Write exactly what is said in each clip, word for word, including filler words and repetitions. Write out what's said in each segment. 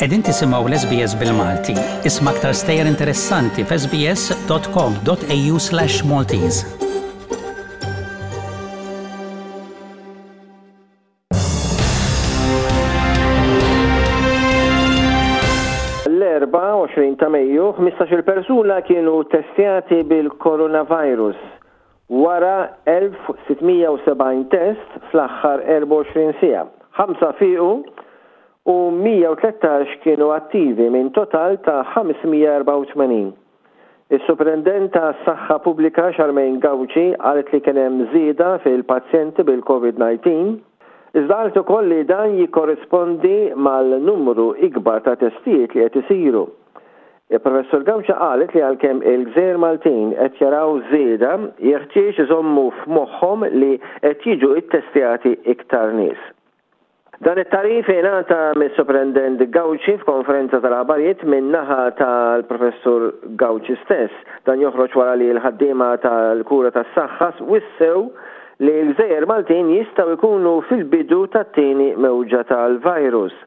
Qegħdin tisimgħu l-S B S bil-Malti. Isma' aktar stejjer interessanti f'S B S dot com dot A U slash Maltese. L-Erbgħa għoxrin ta' Mejju, ħmistax-il persuna kienu testjati bil-coronavirus wara elf u sitt mija u sebgħin test fl-aħħar erbgħa u għoxrin siegħa. Ħamsa fiqu u mija u tlettax kienu attivi minn total ta' ħames mija u erbgħa u tmenin. Is-Superintendent ta' Saħħa Pubblika Charmaine Gauci qalet li kien hemm żieda fil-pazjenti bil-COVID disa, iżda qalet ukoll li dan jikkorrispondi mal-numru ikbar ta' testijiet li qed isiru. Il-Professur Gauci qalet li għalkemm il-Gżejjer Maltin qed jaraw żieda, jeħtieġ iżommu f'moħħhom li qed jiġu ittestjati iktar nies. Dan it-tagħrif ingħata mis-Superintendent Gauci f'konferenza tal-aħbarijiet minn naħa tal-Professur Gauci stess. Dan joħroġ wara li l-ħaddiema tal-kura tas-saħħa wissew li l-Gżejjer Maltin jistgħu jkunu fil-bidu tat-tieni mewġa tal-virus.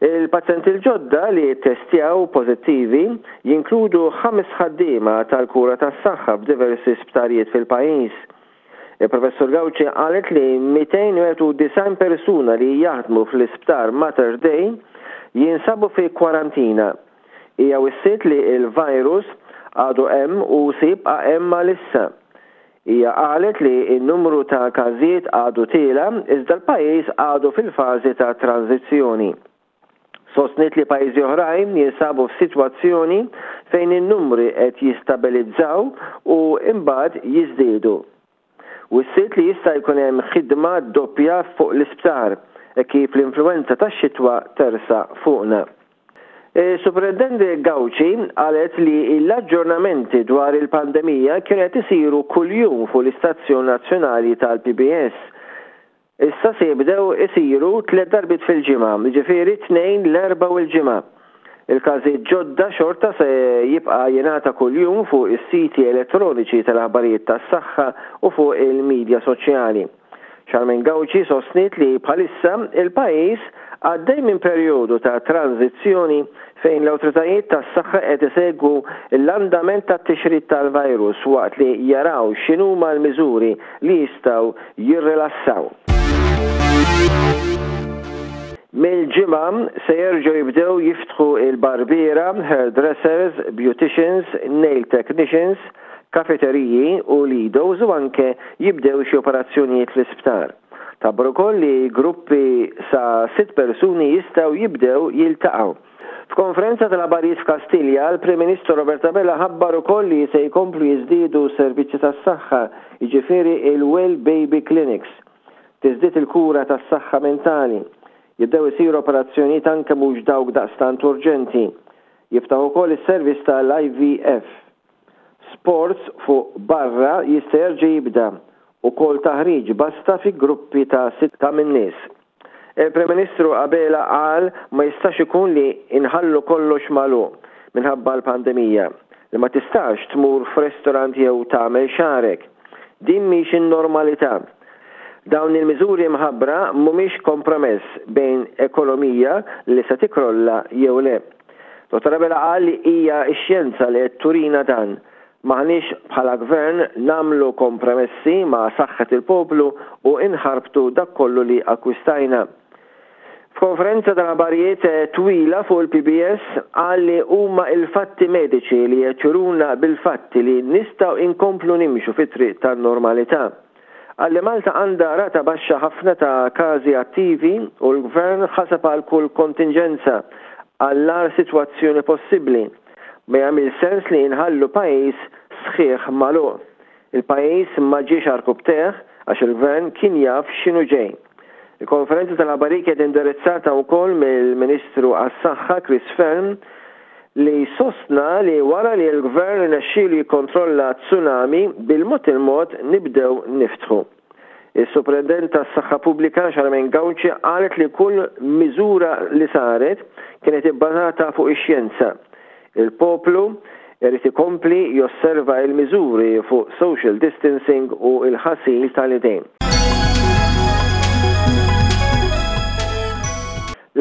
Il-pazjenti l-ġodda li testjaw pożittivi jinkludu ħames ħaddiema tal-kura tas-saħħa f'diversi sptarijiet fil-pajjiż. Il-Professur Gauci qalet li mitejn u disgħin persuna li jaħdmu fl-isptar Mater Dei jinsabu fi kwarantina. Hija wissiet li il-virus għadu hemm u se jibqa' hemm għalissa. Hija qalet li n-numru ta' każijiet għadu tiela' iżda l-pajjiż għadu fil-fażi ta' tranzizzjoni. Sostniet li pajjiżi oħrajn jinsabu f'sitwazzjoni fejn in-numri qed jistabilizzaw u imbagħad jiżdiedu. Wissiet li jista' jkun hemm ħidma doppja fuq l-isptar e kif l-influenza tax-xitwa tersaq fuqna. Superintendent Gauci qalet li l-aġġornamenti dwar il-pandemija kienu qed isiru kuljum fuq l-Istazzjon Nazzjonali tal-P B S. Issa se jibdew isiru tliet darbiet fil-ġimgħa, jiġifieri tnejn, l-Erbgħa u l-Ġimgħa. Il-każijiet ġodda xorta se jibqa' jingħata kuljum fuq is-siti elettroniċi tal-aħbarijiet tas-saħħa u fuq il-medja soċjali. Charmaine Gauci sostniet li bħalissa il-pajjiż għaddej minn perjodu ta' tranzizzjoni fejn l-awtoritajiet tas-saħħa qed isegwu l-andament tat-tixrid tal-virus waqt li jaraw x'inhuma l-miżuri li jistgħu jirrilassaw. Mill-Ġimgħa se jerġgħu jibdew jiftħu il-barbiera, hairdressers, beauticians, nail technicians, kafeteriji u lidos u anke jibdew xi operazzjonijiet fl-isptar. Tħabbar ukoll li gruppi sa sitt persuni jistgħu jibdew jiltaqgħu. F'konferenza tal-aħbarijiet f'Kastilja, l-Prim Ministru Robert Abela ħabbar ukoll li se jkomplu jiżdiedu servizzi tas-saħħa, jiġifieri il-Well Baby Clinics. Tiżdied il-kura tas-saħħa mentali. Jibdew isiru operazzjonijiet anke mhux dawk daqstant urġenti. Jiftaħ ukoll is-servizz tal-I V F. Sports fuq barra jista' jerġa' jibda ukoll taħriġ basta fi gruppi ta' sitta minn nies. Il-Prim Ministru Abela qal ma jistax ikun li inħallu kollox magħluq minħabba l-pandemija, li ma tistax tmur f'restorant jew tagħmel xagħrek. Din mhix in-normalità. Dawn il-miżuri mħabbra mhumiex kompromess bejn ekonomija li se tikrolla jew le. Dottor Abela qal li hija x-xjenza li qed turina dan. M'aħniex bħala gvern nagħmlu kompromessi ma' saħħet il-poplu u inħarbtu dak kollu li akkwistajna. F'konferenza tal-aħbarijiet twila fuq il-P B S qal li huma il-fatti mediċi li juruna bil-fatti li nistgħu inkomplu nimxu fit-triq tan-normalità. Qal li Malta għandha rata baxxa ħafna ta' każi attivi u l-gvern ħaseb għal kull kontingenza, għall-agħar sitwazzjoni possibbli. Ma jagħmel sens li nħallu pajjiż sħiħ magħluq. Il-pajjiż ma ġiex għarkupptejh għax il-gvern kien jaf x'inhu ġej. Il-konferenza tal-aħbarijiet kienet indirizzata wkoll mill-Ministru għas-Saħħa Chris Fearne, li sostna li wara li l-gvern nexxielu jikkontrolla tsunami, bil-mod il-mod nibdew niftħu. Il-Superintendent tas-Saħħa Pubblika Charmaine Gauci qalet li kull miżura li saret kienet ibbażata fuq ix-xjenza. Il-poplu irid ikompli josserva il-miżuri fuq social distancing u il-ħasil tal-idejn.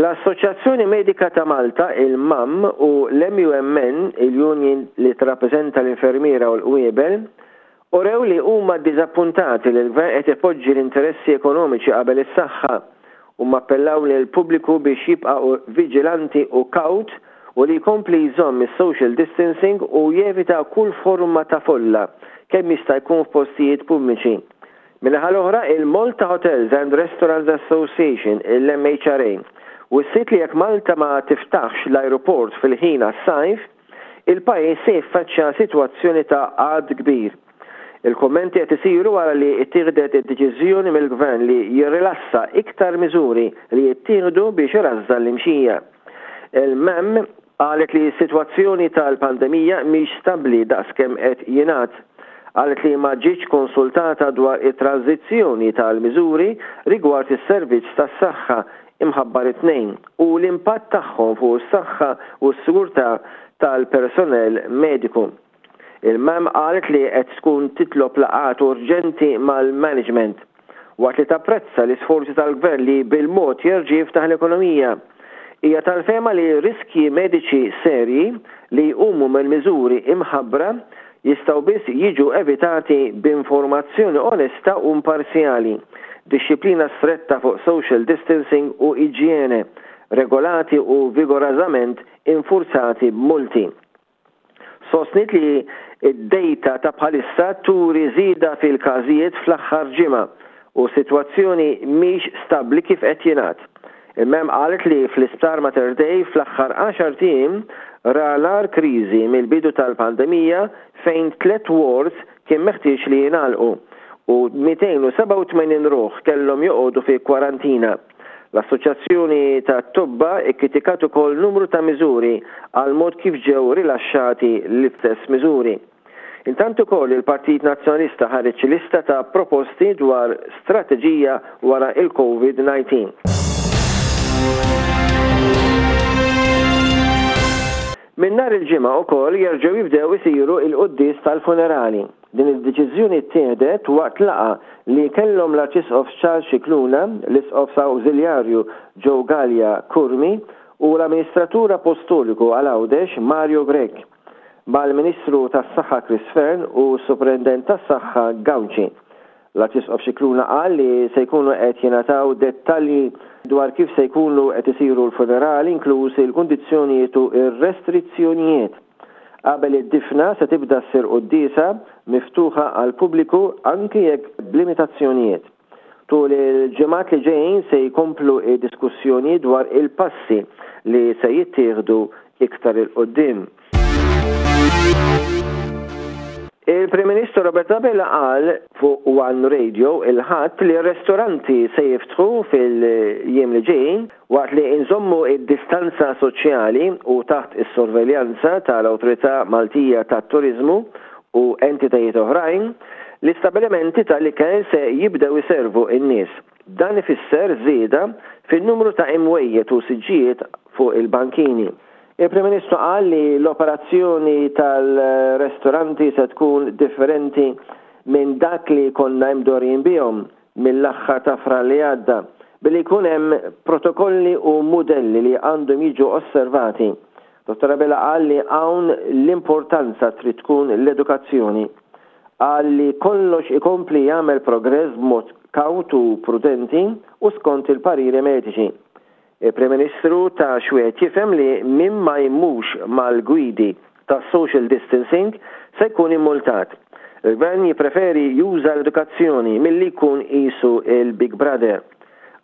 L-Assoċjazzjoni Medika ta' Malta, il-M A M, u l-M U M N, il-Union li tirrappreżenta l-infermiera u l-qwiebel, urew li huma ddiżappuntati li l-gvern qed ipoġġi l-interessi ekonomiċi qabel is-saħħa u appellaw lill-pubbliku biex jibqa' viġilanti u kawt u li jkompli jżomm is-social distancing u jevita kull forma ta' folla kemm jista' jkun f'postijiet pubbliċi. Min-naħa l-oħra, il-Malta Hotels and Restaurants Association, il-M H R A, wissiet li jekk Malta ma tiftaħx l-aeroport fil-ħin għas-sajf, il-pajjiż se jiffaċċja sitwazzjoni ta' qgħad kbir. Il-kommenti qed isiru wara li ttieħdet id-deċiżjoni mill-gvern li jirrilassa iktar miżuri li jittieħdu biex irażżan l-imxija. Il-M A M qalet li s-sitwazzjoni tal-pandemija mhix stabbli daqskemm qed jingħad. Qalet li ma ġietx konsultata dwar it-tranzizzjoni tal-miżuri rigward is-servizz tas-saħħa imħabbar it-Tnejn u l-impatt tagħhom fuq is-saħħa u s-sigurtà tal-personel mediku. Il-M A M qalet li qed tkun titlob laqgħat urġenti mal-management waqt li tapprezza l-isforzi tal-gvern li bil-mod jerġa' jiftaħ l-ekonomija. Hija tal-fehma li riskji mediċi serji li jqumu mill-miżuri imħabbra jistgħu biss jiġu evitati b'informazzjoni onesta u imparzjali, dixxiplina stretta fuq social distancing u iġjene, regolati u vigorożament infurzati b'multi. Sostniet li id-data ta' bħalissa turi żieda fil-każijiet fl-aħħar ġimgħa u sitwazzjoni mhix stabbli kif qed jingħad. Il-M A M qalet li fl-isptar Mater Dei fl-aħħar għaxart ijiem ra l-agħar kriżi mill-bidu tal-pandemija, fejn tliet wards kien meħtieġ li jingħalqu u mitejn u sebgħa u tmenin ruħ kellhom joqogħdu fi kwarantina. L-Assoċjazzjoni ta' Tobba ikkritikat ukoll numru ta' miżuri għal mod kif ġew rilaxxati l-istess miżuri. Intant ukoll il-Partit Nazzjonalista ħareġ lista ta' proposti dwar strateġija wara il-COVID nineteen. Min nhar il-Ġimgħa ukoll jerġgħu jibdew isiru il-quddies tal-funerali. Din id-deċiżjoni ttieħdet waqt laqgħa li kellhom l-Arċisqof Charles Scicluna, l-Isqof Awżiljarju Joe Galea Curmi u l-Amministratur Apostoliku għal Għawdex Mario Grech, mal-Ministru tas-Saħħa Chris Fearne u s-Superintendent tas-Saħħa Gauci. L-Arċisqof Scicluna qal li se jkunu qed jingħataw dettalji dwar kif se jkunu qed isiru l-funerali, inkluż il-kundizzjonijiet u ir-restrizzjonijiet. Qabel id-difna se tibda ssir quddiesa miftuħa għal pubbliku, anki jekk b'limitazzjonijiet. Tul il-ġimgħat li ġejjin se jkomplu diskussjoni dwar il-passi li se jittieħdu iktar 'il quddiem. Il-Prim Ministru Robert Abela qal fuq One Radio il-Ħadd li r-restoranti se jiftħu fil-jiem li ġejjin waqt li nżommu id-distanza soċjali u taħt is-sorveljanza tal-Awtorità Maltija tat-Turizmu u entitajiet oħrajn. L-istabilimenti tal-ikel se jibdew iservu in-nies. Dan ifisser żieda fin-numru ta' imwejjed u siġġijiet fuq il-bankini. Il-Prim Ministru qal li l-operazzjoni tal-restoranti se tkun differenti minn dak li konna imdorrijin bihom mill-aħħar ta' Frar li għadda, billi jkun hemm protokolli u modelli li għandhom jiġu osservati. Dottor Abela qal li hawn l-importanza trid tkun l-edukazzjoni. Qal li kollox ikompli jagħmel progress b'mod kawt u prudenti u skont il-pariri mediċi. Il-Prim Ministru ta xwiet jifhem li min ma jimxix mal-gwidi ta' social distancing se jkun immultat. Il-gvern jipreferi juża l-edukazzjoni milli jkun qisu il-Big Brother.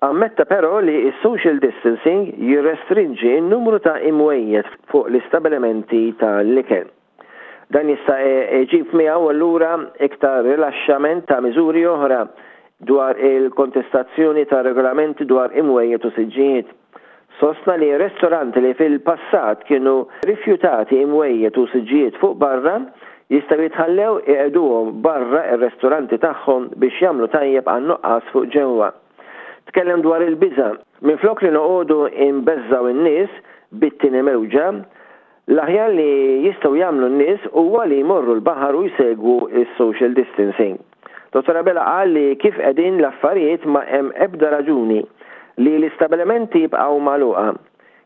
Ammetta però li il-social distancing jirrestrinġi n-numru ta' imwejjed fuq l-istabilimenti tal-ikel. Dan jista' iġib miegħu allura iktar rilaxxament ta' miżuri oħra dwar il-kontestazzjoni ta' regolamenti dwar imwejjed u siġġijiet. Sostna li restoranti li fil-passat kienu rifjutati imwejjed u siġġijiet fuq barra jistgħu jitħallew iqegħduhom barra ir-restoranti tagħhom biex jagħmlu tajjeb għan nuqqas fuq ġewwa. Tkellem dwar il-biża. Minflok li noqogħdu inbeżżaw in-nies bit-tieni mewġa, l-aħjar li jistgħu jagħmlu n-nies huwa li jmorru l-baħar u jsegwu is-social distancing. Dottor Abela qal li kif qegħdin l-affarijiet ma hemm ebda raġuni li l-istabilimenti jibqgħu magħluqa.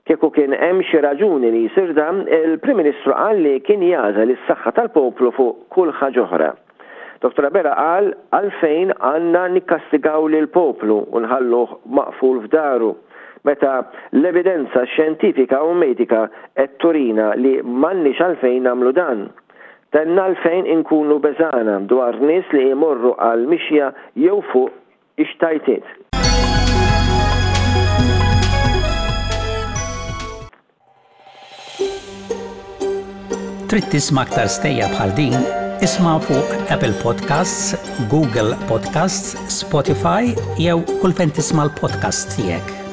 Kieku kien hemm xi raġuni li jsir dan, il-Prim Ministru qal li kien jagħżel is-saħħa tal-poplu fuq kull ħaġa oħra. Dottor Abela qal għalfejn għandna nikkastigaw lill-poplu u nħalluh maqful f'daru meta l-evidenza xjentifika u medika qed turina li m'għandniex għalfejn nagħmlu dan. Tenna għalfejn inkunu beżgħana dwar nies li jmorru għal mixja jew fuq ix-xtajtiet. Trid tisma' aktar stejjer bħal din? Isma' fuq Apple Podcasts, Google Podcasts, Spotify jew kull fejn tisma' l-podcasts tiegħek.